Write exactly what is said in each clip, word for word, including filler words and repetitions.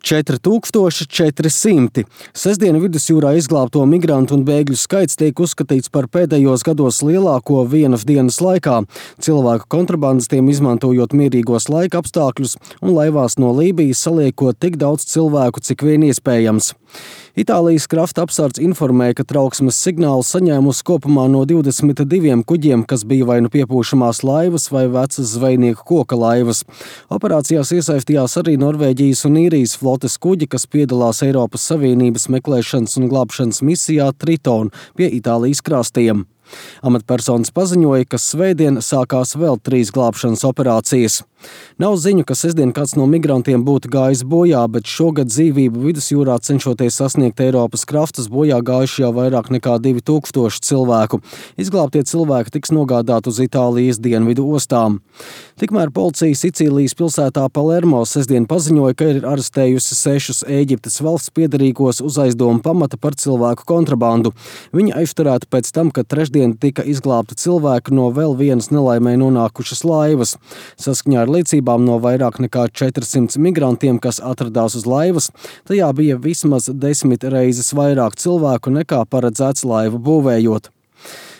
četri tūkstoši četri simti. Sestdien vidusjūrā izglābto migrantu un bēgļu skaits tiek uzskatīts par pēdējos gados lielāko vienas dienas laikā, cilvēku kontrabandistiem izmantojot mierīgos laika apstākļus un laivās no Lībijas saliekot tik daudz cilvēku, cik vien iespējams. Itālijas krasta apsardze informēja, ka trauksmes signālu saņēmusi kopumā no divdesmit diviem kuģiem, kas bija vai nu piepūšamās laivas vai vecas zvejnieku koka laivas. Operācijās iesaistījās arī Norvēģijas un Īrijas flotes kuģi, kas piedalās Eiropas Savienības meklēšanas un glābšanas misijā Triton pie Itālijas krastiem. Amatpersonas paziņoja, ka svētdien sākās vēl trīs glābšanas operācijas. Nav ziņu, ka sestdien kāds no migrantiem būtu gājis bojā, bet šogad dzīvību vidusjūrā cenšoties sasniegt Eiropas krastus bojā gājuši jau vairāk nekā divi tūkstoši cilvēku. Izglābtie cilvēki tiks nogādāti uz Itālijas dienvidu ostām. Tikmēr policija Sicīlijas pilsētā Palermo sestdien paziņoja, ka ir arestējusi sešus Ēģiptes valsts piederīgos uz aizdomu pamata par cilvēku kontrabandu. Viņi aizturēti pēc tam, kad trešdien tika izglābti cilvēki no vēl vienas nelaimē nonākušas laivas. Saskaņā ar liecībām no vairāk nekā četrsimt migrantiem, kas atradās uz laivas, tajā bija vismaz desmit reizes vairāk cilvēku nekā paredzēts laivu būvējot.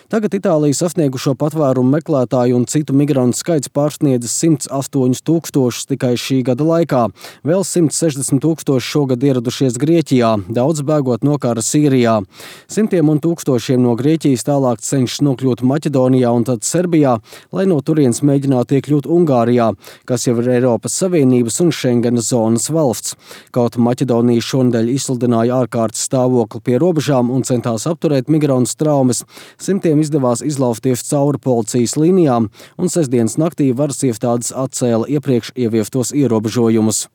Tagad Itāliju sasniegušo patvērumu meklētāju un citu migrantu skaits pārsniedzis simt astoņus tūkstošus tikai šī gada laikā. Vēl simt sešdesmit tūkstoši šogad ieradušies Grieķijā, daudz bēgot no kara Sīrijā. Simtiem un tūkstošiem no Grieķijas tālāk cenšas nokļūt Maķedonijā un tad Serbijā, lai no turienes mēģinātu iekļūt Ungārijā, kas jau ir Eiropas Savienības un Šengenas zonas valsts. Kaut Maķedonija šonedēļ izsludināja ārkārtas stāvokli pie robežām un centās apturēt migrantu traumas, simtiem izdevās izlausties cauri policijas līnijām, un sestdienas naktī varas iestādes atcēla iepriekš ieviestos ierobežojumus.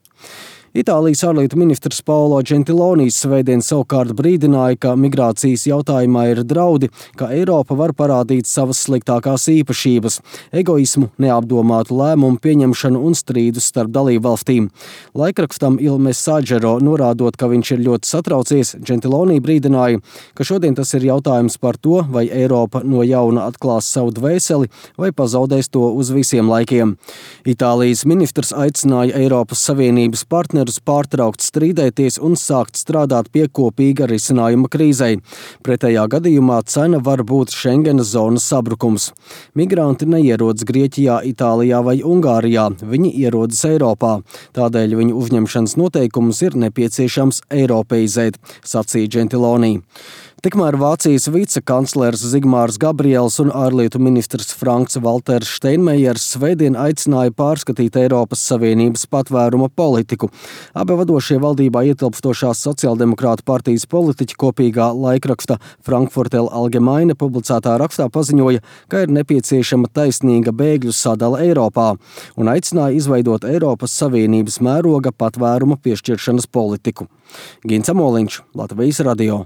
Itālijas ārlietu ministrs Paolo Gentiloni svētdien savukārt brīdināja, ka migrācijas jautājumā ir draudi, ka Eiropa var parādīt savas sliktākās īpašības – egoismu, neapdomātu lēmumu pieņemšanu un strīdus starp dalībvalstīm. Laikrakstam Il Messaggero norādot, ka viņš ir ļoti satraucies, Gentiloni brīdināja, ka šodien tas ir jautājums par to, vai Eiropa no jauna atklās savu dvēseli vai pazaudēs to uz visiem laikiem. Itālijas ministrs aicināja Eiropas Savienības partnerus pārtraukt strīdēties un sākt strādāt pie kopīga risinājuma krīzei. Pretējā gadījumā cena var būt Šengenas zonas sabrukums. Migranti neierodas Grieķijā, Itālijā vai Ungārijā, viņi ierodas Eiropā. Tādēļ viņu uzņemšanas noteikumus ir nepieciešams eiropeizēt, sacīja Gentiloni. Tikmēr Vācijas vicekanclers Zigmārs Gabriels un ārlietu ministrs Franks Valters Steinmeiers svētdien aicināja pārskatīt Eiropas Savienības patvēruma politiku. Abi vadošie valdībā ietilpstošās sociāldemokrātu partijas politiķi kopīgā laikraksta Frankfurter Allgemeine publicētā rakstā paziņoja, ka ir nepieciešama taisnīga bēgļu sadale Eiropā un aicināja izveidot Eiropas Savienības mēroga patvēruma piešķiršanas politiku. Gins Amoliņš, Latvijas radio.